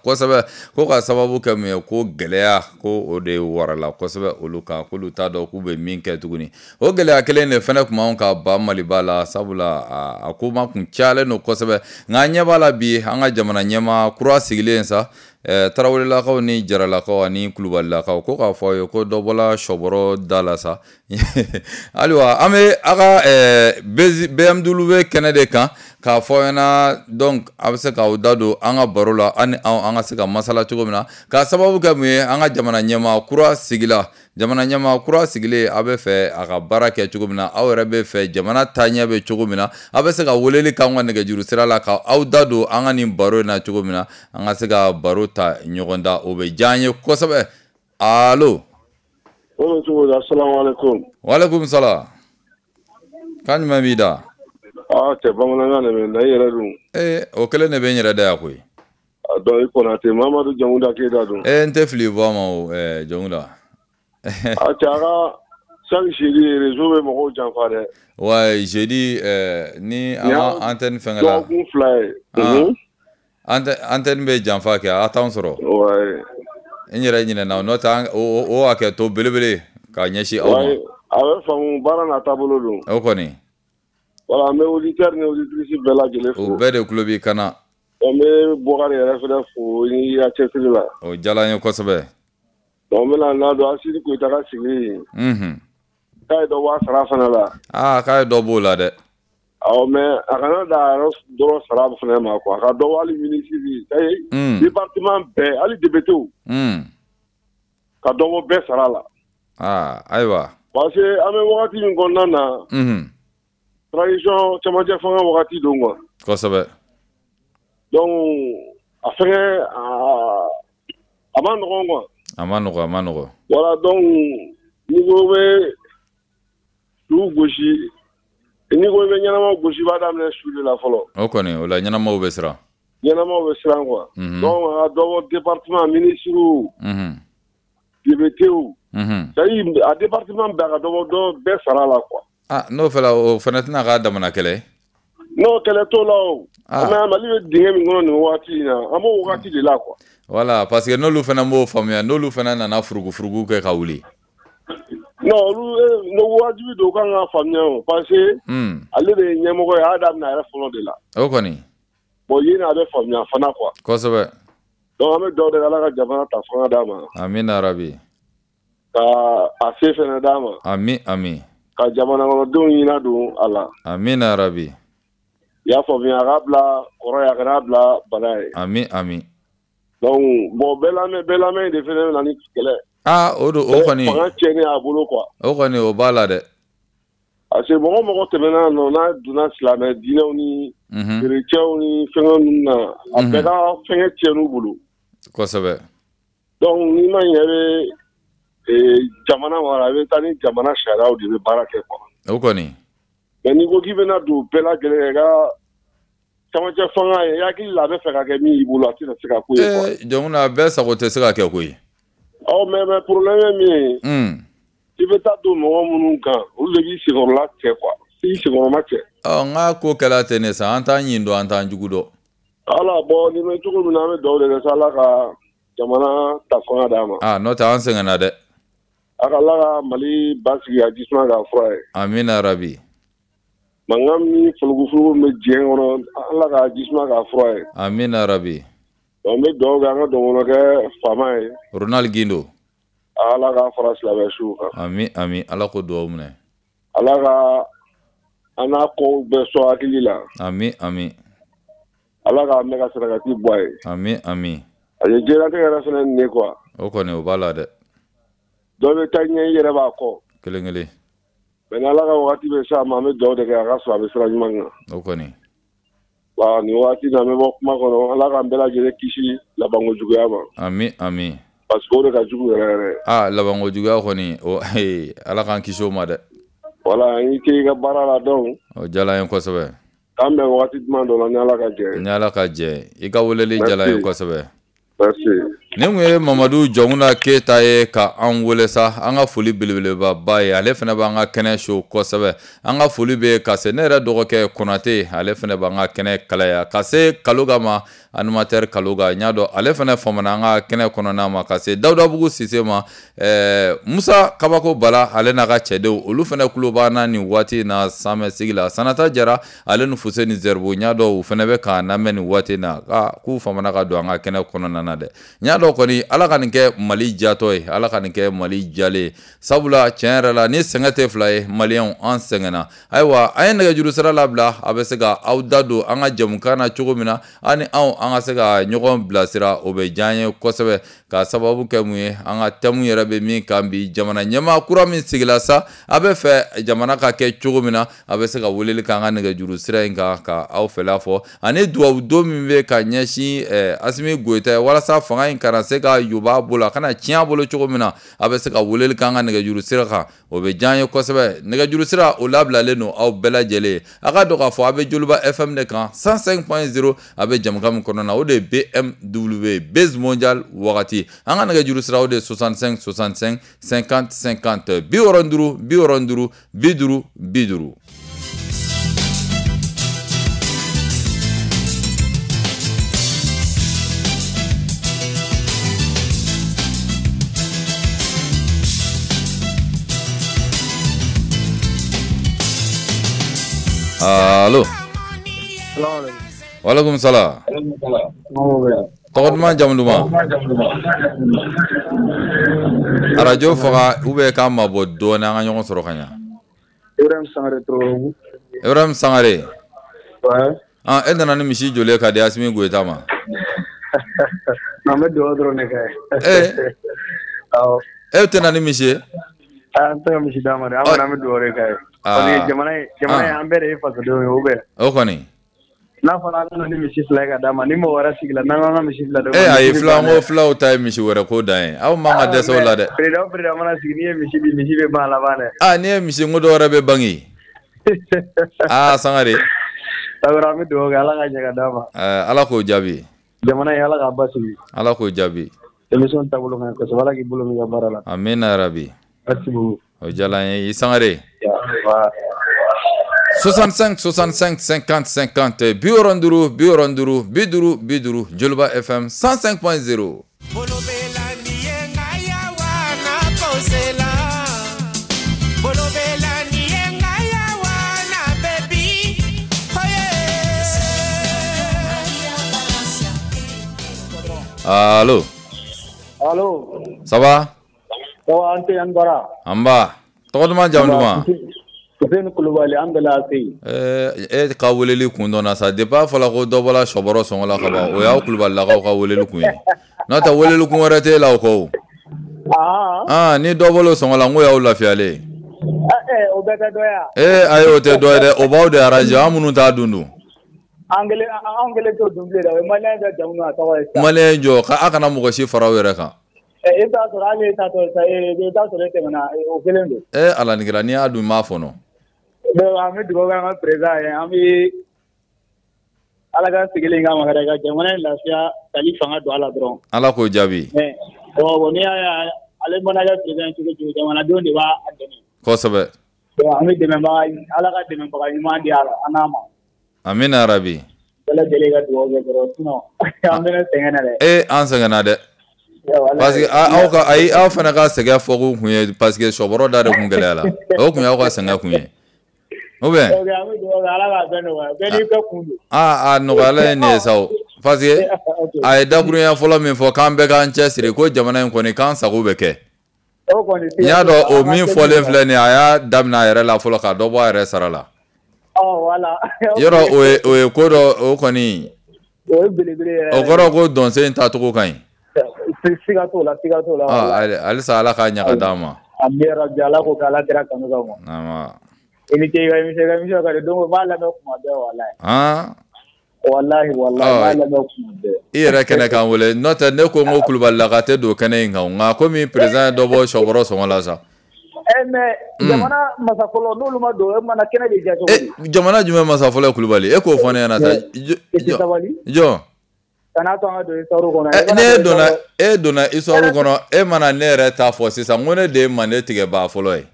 kosɛbɛ ko ka sababu kɛ mun ye ko gɛlɛya ko o de warala kosɛbɛ olu kan k'olu t'a dɔn k'u bɛ min kɛ tuguni. O gɛlɛya kelen de fɛnɛ tun b'anw ka ba Maliba la sabula a ko ma kun cayalen don kosɛbɛ nka an ɲɛ b'a la bi an ka jamana ɲɛmaa kura sigilen sa Tarawelelakaw ni Jaralakaw ani Kulubalilakaw ko k'a fɔ aw ye ko dɔ bɔla sɔbɔrɔ da la sa. Ayiwa an bɛ a ka BMW kɛnɛ de kan k'a fɔ aw ɲɛna donc a bɛ se k'aw da don an ka baro la an ni an ka se ka masala cogo min na k'a sababu kɛ mun ye an ka jamana ɲɛmaa kura sigila. Jamana ɲɛmaa kura sigilen a bɛ fɛ a ka baara kɛ cogo min na aw yɛrɛ bɛ fɛ jamana taaɲɛ bɛ cogo min na a bɛ se ka weleli k'an ka nɛgɛjuru sira la ka aw da don an ka nin baro in na cogo min na an ka se ka baro ta ɲɔgɔn da o bɛ diya an ye kosɛbɛ. Allo. Asalaamaaleykum. Waaleykum salaam. Kan jumɛn b'i da? Aa cɛ bamanankan de bɛ n da i yɛrɛ dun. Ee o kelen de bɛ n yɛrɛ da yan koyi. A dɔn i Konate Mamadu Jamuda Keyita dun. Ee n tɛ fili bɔ a ma o Jamuda. A cɛ a ka chaque jeudi réseau bɛ mɔgɔw janfa dɛ. Ouais jeudi ni an ka antenne fɛngɛ la. Dɔgɔkun 2 ye. Antenne bɛ janfa kɛ a t'anw sɔrɔ. Ouais. N yɛrɛ ɲinɛna n'o tɛ o hakɛ to belebele k'a ɲɛsin aw ma. A bɛ faamu baara n'a taabolo don. O kɔni. Voilà an bɛ auditeur ni auditrice bɛɛ lajɛlen fo. O bɛɛ de tulo b'i kan na. An bɛ Bɔkari yɛrɛ fɛnɛ fo i ka cɛsiri la. O diyara n ye kosɛbɛ. Donc n bɛna n'a don Asimi Goyita ka sigi. Unhun. K'a ye dɔ bɔ a sara fana la. Aa k'a ye dɔ b'o la dɛ. Awɔ mais a kana dan a yɛrɛ dɔrɔn sara fana ma quoi a ka dɔ bɔ hali ministre département bɛɛ hali député. Ka dɔ bɔ bɛɛ sara la. Aa ayiwa. Parce que an bɛ wagati min kɔnɔna na. Unhun. Transition cɛmancɛ fanga wagati don quoi. Kosɛbɛ. Donc a fɛngɛ a ma nɔgɔn quoi. A ma nɔgɔn. Voilà donc n'i ko bɛ su gosi n'i ko i bɛ ɲɛnama gosi i b'a daminɛ su de la fɔlɔ. O kɔni o la ɲɛnamaw bɛ siran. Ɲɛnamaw bɛ siran quoi. Donc a ka dɔ bɔ département ministres, députés, c'est à dire a département bɛɛ a ka dɔ bɔ dɔ bɛɛ sara la quoi. Ah, n'o fɛla o fana tɛna k'a damana kɛlɛ ye. Non, kɛlɛ t'o la o. Mais Mali bɛ dingɛ min kɔnɔ nin waati in na, an b'o wagati de la quoi. Voilà, parce que n'olu fana m'o faamuya, n'olu fana nana furugufurugu kɛ ka wuli. Non, olu no wajibi don u kan ka faamuya o, parce que ale de ye ɲɛmɔgɔ ye, a y'a daminɛ a yɛrɛ fɔlɔ de la. O kɔni. Bon, yen a bɛ faamuya fana quoi. Kosɛbɛ. Donc an bɛ dugawu de kɛ Ala ka jamana ta fanga d'a ma. Amina rabi. Ka a se fana d'a ma. Ami ami. Ka jamana kɔnɔdenw ɲɛna don a la. Amina rabi. I y'a faamuya, a k'a bila kɔrɔ ye, a kana bila bana ye. Ami ami. Donc bon, bɛɛ lamɛn de fana bɛ na ni kɛlɛ. Ah, o don, o kɔni. Fanga tiɲɛni a bolo quoi. O kɔni o b'a la dɛ. Parce que mɔgɔ tɛmɛna nɔ n'a donna silamɛ diinɛw ni chrétiens ni fɛngɛ ninnu na, a bɛɛ ka fɛngɛ tiɲɛn'u bolo. Kosɛbɛ. Donc n'i ma ɲɛ i bɛ jamana mara, i bɛ taa ni jamana sariyaw de bɛ baara kɛ quoi. O kɔni. Mais n'i ko k'i bɛna don bɛɛ lajɛlen i ka camancɛ fanga ye, i hakili la a bɛ fɛ ka kɛ min y'i bolo, a tɛna se ka k'o ye quoi. Jɔnkuna, bɛɛ sago tɛ se ka kɛ koyi. Ɔ mais problème ye min ye. I bɛ taa don mɔgɔ minnu kan, olu de b'i senkɔrɔla cɛ quoi, i senkɔrɔma cɛ. Ɔ n k'a ko kɛla ten de sa, an t'an ɲin dɔn, an t'an jugu dɔn. Ala, bon nin bɛ cogo min na, an bɛ dugawu de kɛ sa, Ala ka jamana ta fanga d'a ma. Ah, n'o tɛ an sɛgɛnna dɛ. A ka Ala ka Mali basigi, a jisuma k'a fura ye. Amina rabi. Mankan min furugufurugu min bɛ diɲɛ kɔnɔ, Ala ka jisuma k'a fura ye. Amina rabi. Donc n bɛ dugawu kɛ an ka dɔgɔnɔkɛ faama ye. Ronald Gindo. Ala ka fara silamɛ suw kan. Ami ami, Ala ko dugawu minɛ. Ala ka an n'a kow bɛɛ sɔn hakili la. Ami ami. Ala k'a mɛn ka sarakati bɔ a ye. Ami ami. A ye diɲɛlatigɛ yɛrɛ fana nin ye quoi. O kɔni o b'a la dɛ. Dɔ bɛ taa ɲɛ, i yɛrɛ b'a kɔ. Kelen kelen. Mais ni Ala ka wagati bɛ s'a ma, an bɛ dugawu de kɛ a ka sɔrɔ a bɛ sira ɲuman kan. O kɔni. Wa nin waati in na, an bɛ bɔ kuma kɔnɔ, Ala k'an bɛɛ lajɛlen kisi labanko juguya ma. Ami ami. Parce que o de ka jugu yɛrɛ yɛrɛ. Ah, labanko juguya kɔni, o Ala k'an kisi o ma dɛ. Voilà, i ce i ka baara la donc. O diyara n ye kosɛbɛ. K'an bɛn wagati jumɛn dɔ la ni Ala ka jɛ ye. Ni Ala ka jɛ ye. I ka weleli diyara n ye kosɛbɛ. Merci. Nin kun ye Mamadu Jɔnkuna Keyita ye ka an wele sa, an ka foli belebeleba ba ye, ale fana b'an ka kɛnɛ so kosɛbɛ. An ka foli bɛ ka se ne yɛrɛ dɔgɔkɛ Konate, ale fana b'an ka kɛnɛ kalaya, ka se Kaloga ma, animateur Kaloga, n y'a dɔn ale fana famana an ka kɛnɛ kɔnɔna ma, ka se Dawudabugu Sise ma, Musa Kabako Bala ale n'a ka cɛdenw, olu fana tulo b'an na nin waati in na sanmɛ sigi la. Sanata Jara ale ni Fuseni Zɛribo, n y'a dɔn u fana bɛ k'an lamɛn nin waati in na, k'u famana ka don an ka kɛnɛ kɔnɔna na dɛ. N y'a dɔn kɔni Ala ka nin kɛ Mali jatɔ ye, Ala ka nin kɛ Mali jalen ye, sabula tiɲɛ yɛrɛ la ni sɛgɛn tɛ fila ye, maliyɛnw an sɛgɛnna. Ayiwa, an ye nɛgɛjuru sira labila, a bɛ se ka aw da don an ka jɛmukan na cogo min na, an ni anw an ka se ka ɲɔgɔn bilasira, o bɛ diya an ye kosɛbɛ. Ka sababu kɛ mun ye, an ka thème yɛrɛ bɛ min kan bi, jamana ɲɛmaa kura min sigila sa, a bɛ fɛ jamana ka kɛ cogo min na, a bɛ se ka weleli kɛ an ka nɛgɛjuru sira in kan ka aw fɛla fɔ, ani dugawu don min bɛ ka ɲɛsin Asimi Goyita ye walasa fanga in kana se ka yoba a bolo, a kana tiɲɛ a bolo cogo min na, a bɛ se ka weleli kɛ an ka nɛgɛjuru sira kan, o bɛ diya an ye kosɛbɛ. Nɛgɛjuru sira o labilalen don aw bɛɛ lajɛlen ye. A ka dɔn k'a fɔ a bɛ Joliba FM de kan 105.0, a bɛ jamukan min kɔnɔna na, o de ye BMW Base Mondial wagati. An ka nɛgɛjuru sira o de ye 65 65 50 50, 65 65 50 50. Allo. Waaleykum salam. Tɔgɔ duman, jamu duman? Arajo faga ou bien k'an mabɔ dɔɔnin, an ka ɲɔgɔn sɔrɔ ka ɲa. Ibrahim Sangare Tororobu. Ibrahim Sangare. Ouais. Ah, e nana ni misi joli ye ka di Asimi Goyita ma? Non, n bɛ dugawu dɔrɔn de kɛ. Awɔ. E tɛ na ni misi ye? An tɛ ka misi d'a ma dɛ, an kɔni an bɛ dugawu de k'a ye. Parce que jamana in an bɛɛ de ye fasodenw ye, ou bien? O kɔni. N'a fɔra an nana ni misi 2 ye ka d'a ma, ni mɔgɔ wɛrɛ sigila n'an k'an ka misi 2 d'o ma. Ayi, fila n ko filaw ta ye misi wɛrɛ ko dan ye, aw man ka dɛsɛ o la dɛ. Président o président mana sigi, n'i ye misi di, misi bɛ ban a laban dɛ. Ah, n'i ye misi n ko dɔ wɛrɛ bɛ bange. Ah, Sangare. An bɛ dugawu kɛ Ala ka ɲɛ ka d'a ma. Ala k'o jaabi. Jamana in Ala k'a basigi. Ala k'o jaabi. Émission taabolo ka ɲi kosɛbɛ, Ala k'i bolo mɛn i ka baara la. Amina yarabi. Merci beaucoup. O diyara n ye, i Sangare. 65 65 50 50 65 65 50 50 Joliba FM 105.0. Allo. Allo. Ça va? Ça va, an tɛ an bara. An ba. Tɔgɔ duman, jamu duman? Fuseni Kulubali an bɛla se. E ka weleli kun dɔnna sa, depuis a fɔra ko dɔ bɔra sɔbɔrɔ sɔngɔ la ka ban, o y'aw Kulubalilakaw ka weleli kun ye. N'o tɛ weleli kun wɛrɛ t'e la o kɔ o. Ah, ni dɔ bɔra o sɔngɔ la, n ko y'aw lafiyalen. O bɛɛ tɛ dɔ ye wa? Ee ayi, o tɛ dɔ ye dɛ, o b'aw de arranger, an minnu t'a dun dun. An kelen t'o dun bilen dɛ, o ye maliyɛn bɛɛ jamu n'a tɔgɔ ye sisan. Maliyɛn jɔ, a kana mɔgɔ si fara aw yɛrɛ kan. I bɛ t'a sɔrɔ hali e tatɔ sisan, i bɛ t'a sɔrɔ e tɛmɛna, o kelen don. Ee Ala ni kira, n'i y'a dun n b'a fɔnɔ. Donc an bɛ dugawu kɛ an ka président ye, an bɛ Ala ka sigilen k'a ma hɛrɛ ka jamana in lafiya kali fanga don a la dɔrɔn. Ala k'o jaabi. Bon n'i y'a ye ale mana kɛ président cogo cogo, jamanadenw de b'a dɛmɛ. Kosɛbɛ. Donc an bɛ dɛmɛbaga, Ala ka dɛmɛbaga ɲuman di a n'a ma. Amina yarabi. Bɛɛ lajɛlen ka dugawu kɛ dɔrɔn, sinon an bɛ sɛgɛn na dɛ. Ee an sɛgɛnna dɛ. Parce que aw ka ayi, aw fana ka sɛgɛn fɔkun kun ye parce que sɔbɔrɔ da de kun gɛlɛya la. O kun y'aw ka sɛgɛn kun ye. Ou bien? A nɔgɔyala ye nin ye sa o. Parce que a ye dakurunya fɔlɔ min fɔ k'an bɛɛ k'an cɛ siri ko jamana in kɔni k'an sago bɛ kɛ. N y'a dɔn o min fɔlen filɛ nin ye, a y'a daminɛ a yɛrɛ la fɔlɔ ka dɔ bɔ a yɛrɛ sara la. Yɔrɔ o ye ko dɔ, o kɔni o kɔrɔ ko dɔnsen in taacogo ka ɲi. Siga t'o la, siga t'o la. Halisa Ala k'a ɲaga d'an ma. Amina rabi, Ala k'o kɛ Ala kira kanu kama. I ni ce i ka émission ka di, donc n b'a lamɛn kuma bɛɛ walahi. Walahi walahi n b'a lamɛn kuma bɛɛ. I yɛrɛ kɛnɛ k'an wele, n'o tɛ ne ko n ko Kulubalilaka tɛ don kɛnɛ in kan, nka komi président ye dɔ bɔ sɔbɔrɔ sɔngɔ la sa. Mais jamana masa fɔlɔ n'olu ma don, e mana kɛnɛ bɛ diya cogo di? Jamana jumɛn masa fɔlɔ ye Kulubali? E k'o fɔ ne ɲɛna sa. Jɔn? Kana to an ka don histoire kɔnɔ. Ne e donna histoire kɔnɔ, e mana ne yɛrɛ ta fɔ sisan, n ko ne de ye Mande tigɛbaa fɔlɔ ye.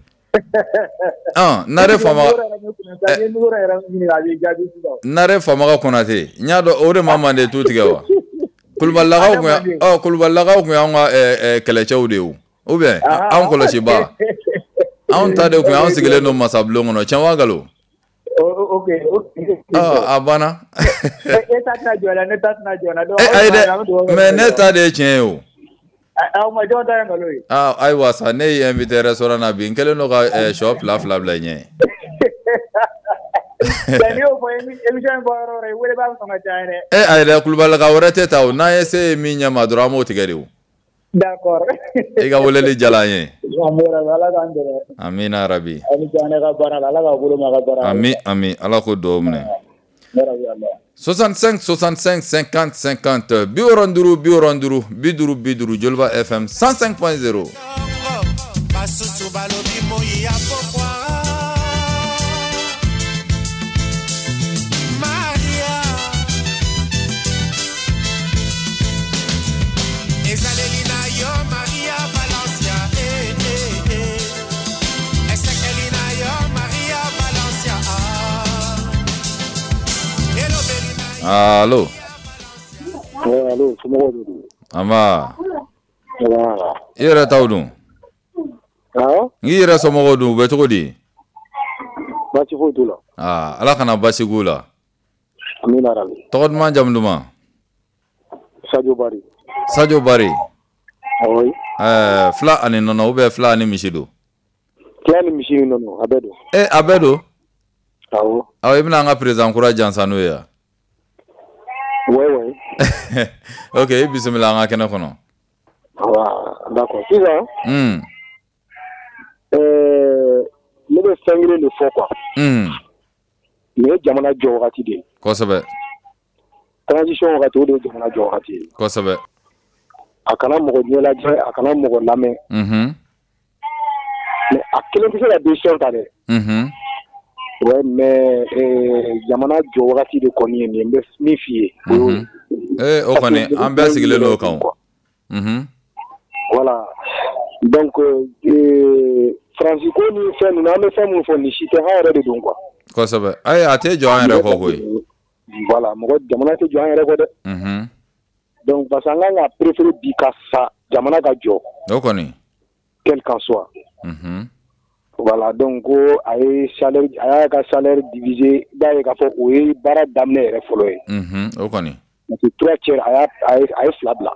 Nare Famaga Konate, n y'a dɔn o de ma Mande tu tigɛ wa? Kulubalilakaw kun y'anw ka kɛlɛcɛw de ye o, ou bien anw kɔlɔsibaa. Anw ta de kun y'anw sigilen don masabulon kɔnɔ, tiɲɛ wa nkalon? Ok. A banna. E ta tɛna jɔ la, ne ta tɛna jɔ la. Ayi dɛ, mais ne ta de ye tiɲɛ ye o. Aw ma jɔn ta ye nkalon ye. Ayiwa sa, ne y'i invité restaurant na bi, n kɛlen don ka sɔ fila fila bila i ɲɛ. Mais n'i y'o fɔ émission in bɔ yɔrɔ o yɔrɔ, i wele b'a sɔn ka caya dɛ. Ayi dɛ, Kulubalilaka wɛrɛ tɛ ta o, n'an ye se ye min ɲɛ ma dɔrɔn an b'o tigɛ de o. D'accord. I ka weleli diyara an ye. Ala k'an dɛmɛ. Amina yarabi. Aw ni ce an ka baara la, Ala k'aw bolo mɛn a ka baara la. Ami ami, Ala k'o dugawu minɛ. 65 65 50 50 65 65 50 50 Joliba FM 105.0. Allo. Allo, somɔgɔw de don? An ba. I yɛrɛ taw dun? Awɔ. I yɛrɛ somɔgɔw dun, u bɛ cogo di? Baasi foyi t'u la. Aa, Ala kana baasi k'u la. Amina rabi. Tɔgɔ duman, jamu duman? Sadio Bari. Sadio Bari. Oui. Fila ani nɔnɔ ou bien fila ani misi don? Fila ni misi ni nɔnɔ, a bɛɛ don. A bɛɛ don? Awɔ. Awɔ, i bɛna an ka président kura jansa n'o ye wa? Oui, oui. Ok, i bisimila an ka kɛnɛ kɔnɔ. D'accord. Sisan. Ne bɛ fɛn kelen de fɔ quoi. Nin ye jamana jɔ wagati de ye. Kosɛbɛ. Transition wagati, o de ye jamana jɔ wagati ye. Kosɛbɛ. A kana mɔgɔ ɲɛ lajɛ, a kana mɔgɔ lamɛn. Mais a kelen tɛ se ka décision ta dɛ. Ouais, mais jamana jɔ wagati de kɔni ye nin ye, n bɛ min f'i ye. Ee, o kɔni an bɛɛ sigilen don o kan. Voilà. Donc Faransi ko ni fɛn ninnu, an bɛ fɛn min fɔ nin si tɛ, an yɛrɛ de don quoi. Kosɛbɛ. Ayi, a tɛ jɔ an yɛrɛ kɔ koyi. Voilà, mɔgɔ jamana tɛ jɔ an yɛrɛ kɔ dɛ. Donc parce que an kan ka préférer bi ka sa jamana ka jɔ. O kɔni. Quel qu'en soit. Voilà, donc ko a ye salaire, a y'a ka salaire diviser, i b'a ye k'a fɔ o ye baara daminɛ yɛrɛ fɔlɔ ye. O kɔni. Parce que trois tiers, a ye fila bila.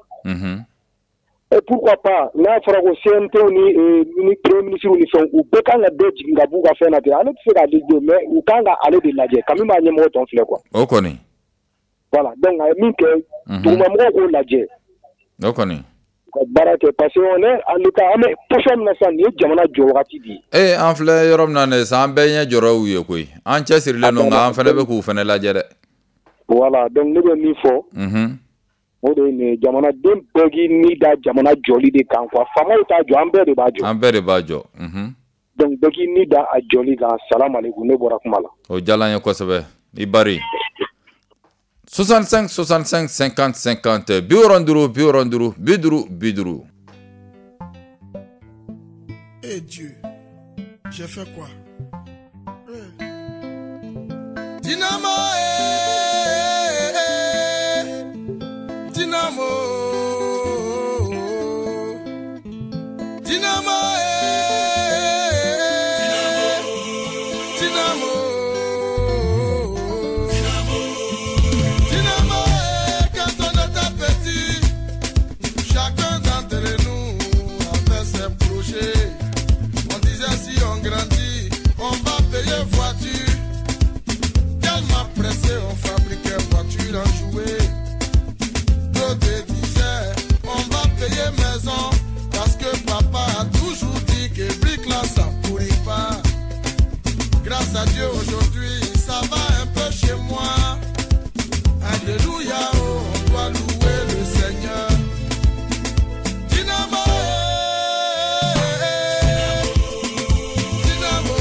Et pourquoi pas, n'a fɔra ko CNT ni premier ministre ni fɛnw, u bɛɛ kan ka dɔ jigin ka b'u ka fɛn na ten. Ale tɛ se k'ale don, mais u kan ka ale de lajɛ kami b'a ɲɛmɔgɔ tɔ filɛ quoi. O kɔni. Voilà, donc a ye min kɛ, dugumamɔgɔw k'o lajɛ. O kɔni. Ka baara kɛ, parce que on est en état, an bɛ position min na sisan, nin ye jamana jɔ wagati de ye. Ee, an filɛ yɔrɔ min na nin ye sisan, an bɛɛ ɲɛ jɔra u ye koyi. An cɛsirilen don, nka an fana bɛ k'u fana lajɛ dɛ. Voilà, donc ne bɛ min fɔ, o de ye nin ye, jamanaden bɛɛ k'i ni da jamana jɔli de kan quoi. Faamaw t'a jɔ, an bɛɛ de b'a jɔ. An bɛɛ de b'a jɔ. Donc bɛɛ k'i ni da a jɔli kan. Salam aleykum, ne bɔra kuma la. O diyara n ye kosɛbɛ. I bari. 65 65 50 50, 65 65 50 50. Eh Dieu, j'ai fait quoi? Eh. Dynamo, eh, eh, Dynamo, Dynamo, eh, Dynamo, Dynamo, eh, quand on était petit, chacun d'entre nous avait ses projets. On disait si on grandit, on va payer voiture. Tellement pressé, on fabriquait voiture en jouet. D'autres disaient, on va payer maison. Parce que papa a toujours dit que brique là, ça pourrit pas. Grâce à Dieu aujourd'hui, ça va un peu chez moi. Alléluia, oh, on doit louer le Seigneur. Dynamo, eh, Dynamo.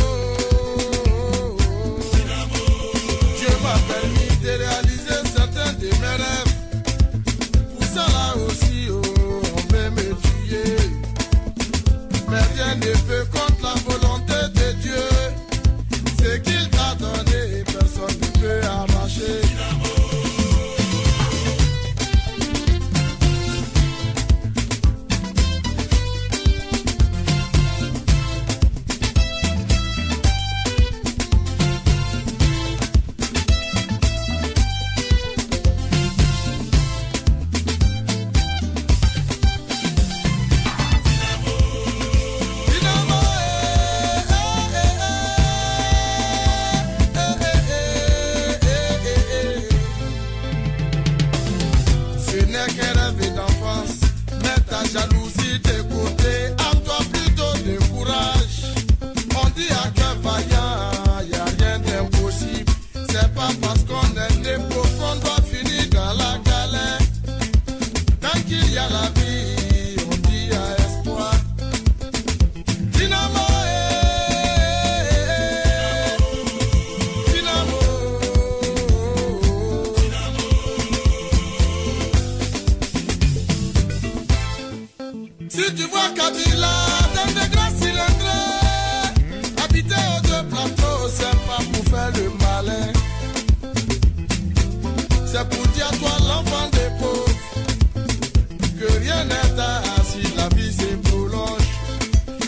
Dieu m'a permis de réaliser certains de mes rêves. Pour ça là aussi, oh, on veut me tuer. Mais rien ne peut contre la volonté de Dieu. Ce qu'il t'a donné, personne ne peut arracher. Dynamo, eh, eh, eh, eh, eh, eh. Ce n'est qu'un rêve d'enfance. Mets ta jalousie de côté, à toi plutôt de courage. On dit à cœur vaillant, y a rien d'impossible. C'est pas parce qu'on est né pauvre qu'on doit finir dans la galère. Tant qu'il y a la vie, on dit y a espoir. Dynamo, eh, Dynamo. Si tu vois Kabila dans des grands cylindres, habiter aux deux plateaux, c'est pas pour faire le malin. C'est pour dire à toi l'enfant des pauvres que rien n'est à si la vie se prolonge.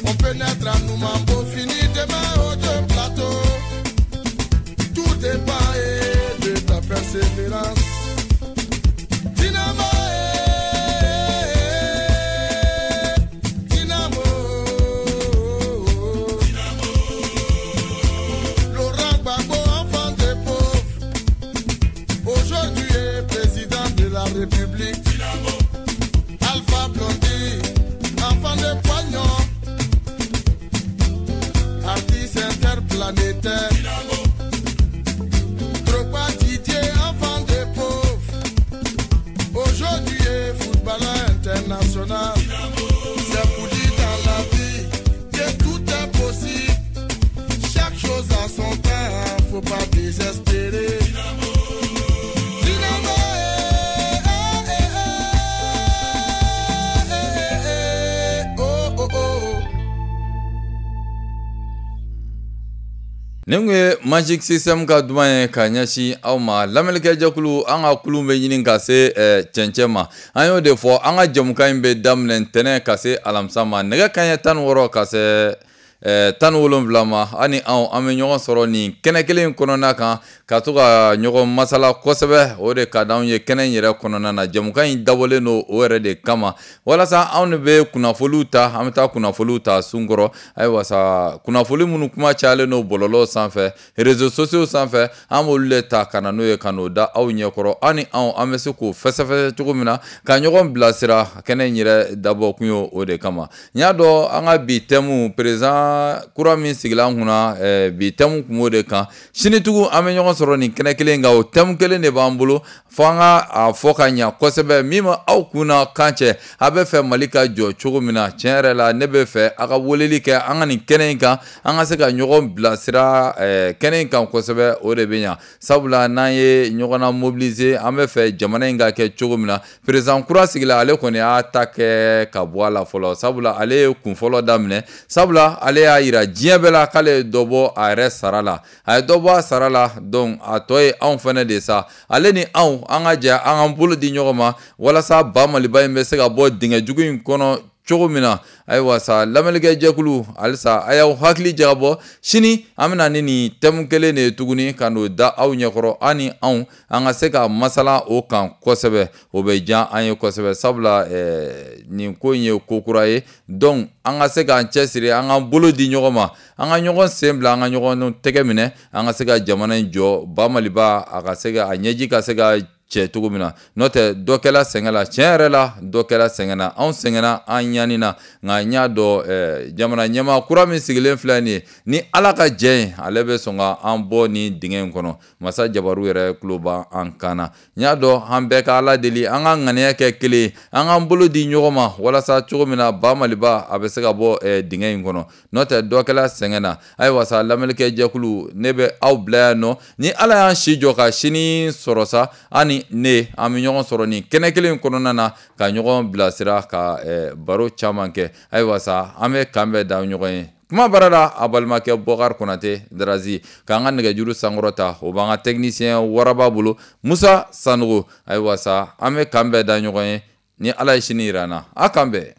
On peut naître à Noumambo, finir demain aux deux plateaux. Tout dépend eh, de ta persévérance. Dynamo, eh, Dynamo. Laurent Gbagbo, enfant des pauvres, aujourd'hui est président de la République. Alpha Blondy, enfant de poignon, artiste interplanétaire. Drogba Didier, enfant des pauvres, aujourd'hui est footballeur international. C'est pour dire dans la vie que tout est possible. Chaque chose a son temps. Désespéré. Dynamo, eh, eh, eh, eh, eh, oh, oh, oh. Nin kun ye Magic System ka duman ye ka ɲɛsin aw ma. Lamɛnnikɛjɛkulu, an ka kulun bɛ ɲini ka se cɛncɛn ma. An y'o de fɔ, an ka jɛmukan in bɛ daminɛ ntɛnɛn ka se alamisa ma, nɛgɛ kanɲɛ 16 ka se 17 ma. Ani anw, an bɛ ɲɔgɔn sɔrɔ nin kɛnɛ kelen in kɔnɔna kan ka to ka ɲɔgɔn masala kosɛbɛ. O de ka d'anw ye kɛnɛ in yɛrɛ kɔnɔna na. Jɛmukan in dabɔlen don o yɛrɛ de kama, walasa anw de bɛ kunnafoniw ta, an bɛ taa kunnafoniw ta sun kɔrɔ. Ayiwa sa, kunnafoni minnu kuma cayalen don bɔlɔlɔ sanfɛ, réseaux sociaux sanfɛ, an b'olu de ta ka na n'o ye, ka n'o da aw ɲɛkɔrɔ. Aw ni anw, an bɛ se k'o fɛsɛfɛsɛ cogo min na ka ɲɔgɔn bilasira. Kɛnɛ in yɛrɛ dabɔ kun ye o de kama. N y'a dɔn, an ka bi thème, président kura min sigila an kunna, bi thème kun b'o de kan. Sini tugun, an bɛ ɲɔgɔn sɔrɔ nin kɛnɛ kelen kan, o thème kelen de b'an bolo fo an ka a fɔ ka ɲa kosɛbɛ. Min ma aw kun na kan cɛ, a bɛ fɛ Mali ka jɔ cogo min na, tiɲɛ yɛrɛ la, ne bɛ fɛ a ka weleli kɛ an ka nin kɛnɛ in kan, an ka se ka ɲɔgɔn bilasira kɛnɛ in kan kosɛbɛ. O de bɛ ɲa, sabula n'an ye ɲɔgɔn na mobiliser, an bɛ fɛ jamana in ka kɛ cogo min na. Président kura sigila, ale kɔni y'a ta kɛ ka bɔ a la fɔlɔ, sabula ale ye kun fɔlɔ daminɛ, sabula ale y'a yira diɲɛ bɛɛ la k'ale ye dɔ bɔ a yɛrɛ sara la. A ye dɔ bɔ a sara la, donc a tɔ ye anw fɛnɛ de sa. Ale ni anw, an ka jɛ an k'an bolo di ɲɔgɔn ma walasa ba Maliba in bɛ se ka bɔ dingɛ jugu in kɔnɔ cogo min na. Ayiwa sa, lamɛnnikɛ jɛkulu, halisa a y'aw hakili jagabɔ. Sini an bɛna ni nin thème kelen de ye tuguni ka n'o da aw ɲɛkɔrɔ. An ni anw, an ka se ka masala o kan kosɛbɛ, o bɛ diya an ye kosɛbɛ, sabula nin ko in ye ko kura ye. Donc an ka se k'an cɛsiri, an k'an bolo di ɲɔgɔn ma, an ka ɲɔgɔn sen bila, an ka ɲɔgɔn tɛgɛ minɛ, an ka se ka jamana in jɔ, ba Maliba a ka se ka a ɲɛji ka se ka cɛ cogo min na. N'o tɛ, dɔ kɛla sɛgɛn la, tiɲɛ yɛrɛ la, dɔ kɛla sɛgɛn na. Anw sɛgɛnna, an ɲanina, nka n y'a dɔn, jamana ɲɛmaa kura min sigilen filɛ nin ye, ni Ala ka jɛ ye, ale bɛ sɔn ka an bɔ nin dingɛ in kɔnɔ. Masa jabaru yɛrɛ tulo b'an kan na. N y'a dɔn, an bɛɛ ka Ala deli, an ka ŋaniya kɛ kelen ye, an k'an bolo di ɲɔgɔn ma walasa cogo min na ba Maliba a bɛ se ka bɔ dingɛ in kɔnɔ. N'o tɛ, dɔ kɛla sɛgɛn na. Ayiwa sa, lamɛnnikɛ jɛkulu, ne bɛ aw bila yan nɔ. Ni Ala y'an si jɔ ka sini sɔrɔ sa, an ni ne, an bɛ ɲɔgɔn sɔrɔ nin kɛnɛ kelen in kɔnɔna na ka ɲɔgɔn bilasira, ka baro caman kɛ. Ayiwa sa, an bɛ kan bɛɛ da ɲɔgɔn ye. Kuma baara la, a balimakɛ Bɔkari Konate Darazi k'an ka nɛgɛjuru sankɔrɔta, o b'an ka technicien waraba bolo, Musa Sanogo. Ayiwa sa, an bɛ kan bɛɛ da ɲɔgɔn ye. Ni Ala ye sini yira an na, a kan bɛn.